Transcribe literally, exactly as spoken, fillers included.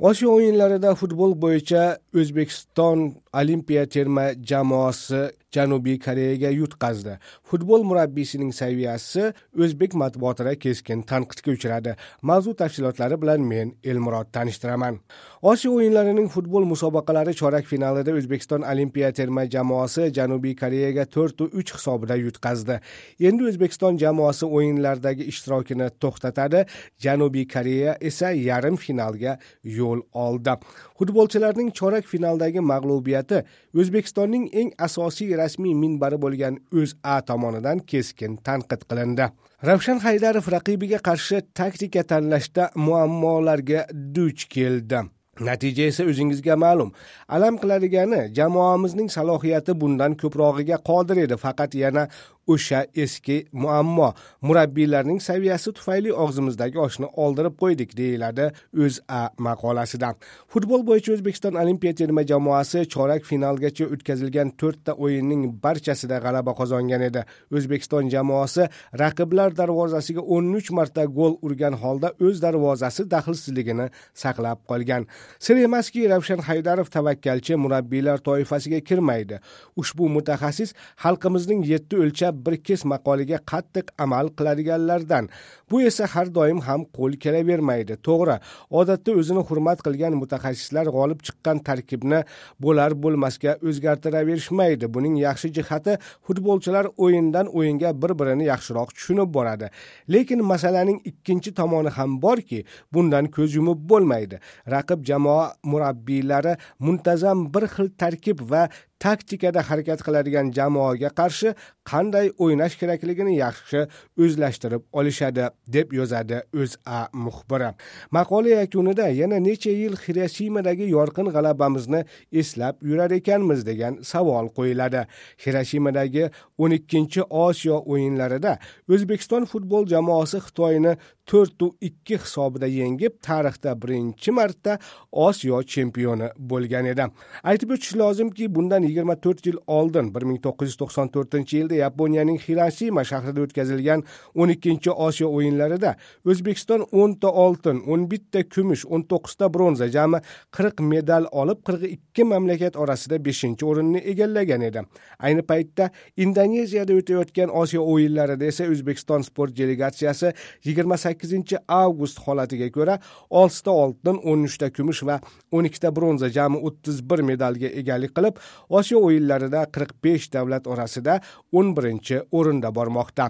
Osiyo o'yinlarida futbol bo'yicha O'zbekiston olimpiya terma jamoasi Janubiy Koreyaga yutqazdi. Futbol murabbiysining saviyasi o'zbek matbuotida keskin tanqidga uchradi. Mavzu tafsilotlari bilan men Elmurod tanishtiraman. Osiyo o'yinlarining futbol musobaqalari chorak finalida O'zbekiston olimpiya terma jamoasi Janubiy Koreyaga to'rt uch hisobida yutqazdi. Endi O'zbekiston jamoasi o'yinlardagi ishtirokini to'xtatadi. Janubiy Koreya esa yarim finalga yo'l oldi. Futbolchilarning chorak finaldagi mag'lubiyati O'zbekistonning eng asosiy rasmiy minbari bo'lgan O'zA tomonidan keskin tanqid qilindi. Ravshan Haydarov raqibiga qarshi taktika tanlashda muammolarga duch keldi. Natija esa o'zingizga ma'lum. Alam qiladigani, jamoamizning salohiyati bundan ko'prog'iga qodir edi, faqat yana o'sha eski muammo, murabbiylarning saviyasi tufayli og'zimizdagi oshni oldirib qo'ydik, deyiladi O'zA maqolasida. Futbol bo'yicha O'zbekiston olimpiya terma jamoasi chorak finalgacha o'tkazilgan to'rtta o'yinning barchasida g'alaba qozongan edi. O'zbekiston jamoasi raqiblar darvozasiga o'n uch marta gol urgan holda o'z darvozasi daxlsizligini saqlab qolgan. Sir emaski, Ravshan Haydarov tavakkalchi murabbiylar toifasiga kirmaydi. Ushbu mutaxassis xalqimizning yetti o'lchab bir kes maqoliga qattiq amal qiladiganlardan. Bu esa har doim ham qo'l kelavermaydi. To'g'ri, odatda o'zini hurmat qilgan mutaxassislar g'olib chiqqan tarkibni bo'lar bo'lmasga o'zgartiraverishmaydi. Buning yaxshi jihati, futbolchilar o'yindan o'yinga bir-birini yaxshiroq tushunib boradi. Lekin masalaning ikkinchi tomoni ham borki, bundan ko'z yumib bo'lmaydi. Raqib jamoa murabbiylari muntazam bir xil tarkib va taktikada harakat qiladigan jamoaga qarshi qanday o'ynash kerakligini yaxshi o'zlashtirib olishadi, deb yozadi O'zA muxbiri. Maqola yakunida yana necha yil Xiroshimadagi yorqin g'alabamizni eslab yurar ekanmiz degan savol qo'yiladi. Xiroshimadagi o'n ikkinchi Osiyo o'yinlarida O'zbekiston futbol jamoasi Xitoyni to'rt ikki hisobida yengib, tarixda birinchi marta Osiyo chempioni bo'lgan edi. Aytib o'tish lozimki, bundan yigirma to'rt yil oldin bir ming to'qqiz yuz to'qson to'rtinchi yilda Yaponiyaning Xiroshima shahrida o'tkazilgan o'n ikkinchi Osiyo o'yinlarida O'zbekiston o'nta oltin, o'n bitta kumush, o'n to'qqizta bronza, jami qirq medal olib, qirq ikki mamlakat orasida beshinchi o'rinni egallagan edi. Ayni paytda Indoneziyada o'tayotgan Osiyo o'yinlarida esa O'zbekiston sport delegatsiyasi yigirma sakkizinchi avgust holatiga ko'ra oltita oltin, o'n uchta kumush va o'n ikkita bronza, jami o'ttiz bir medalga egalik qilib, Osiyo o'yinlarida qirq besh davlat orasida o'n birinchi o'rinda bormoqda.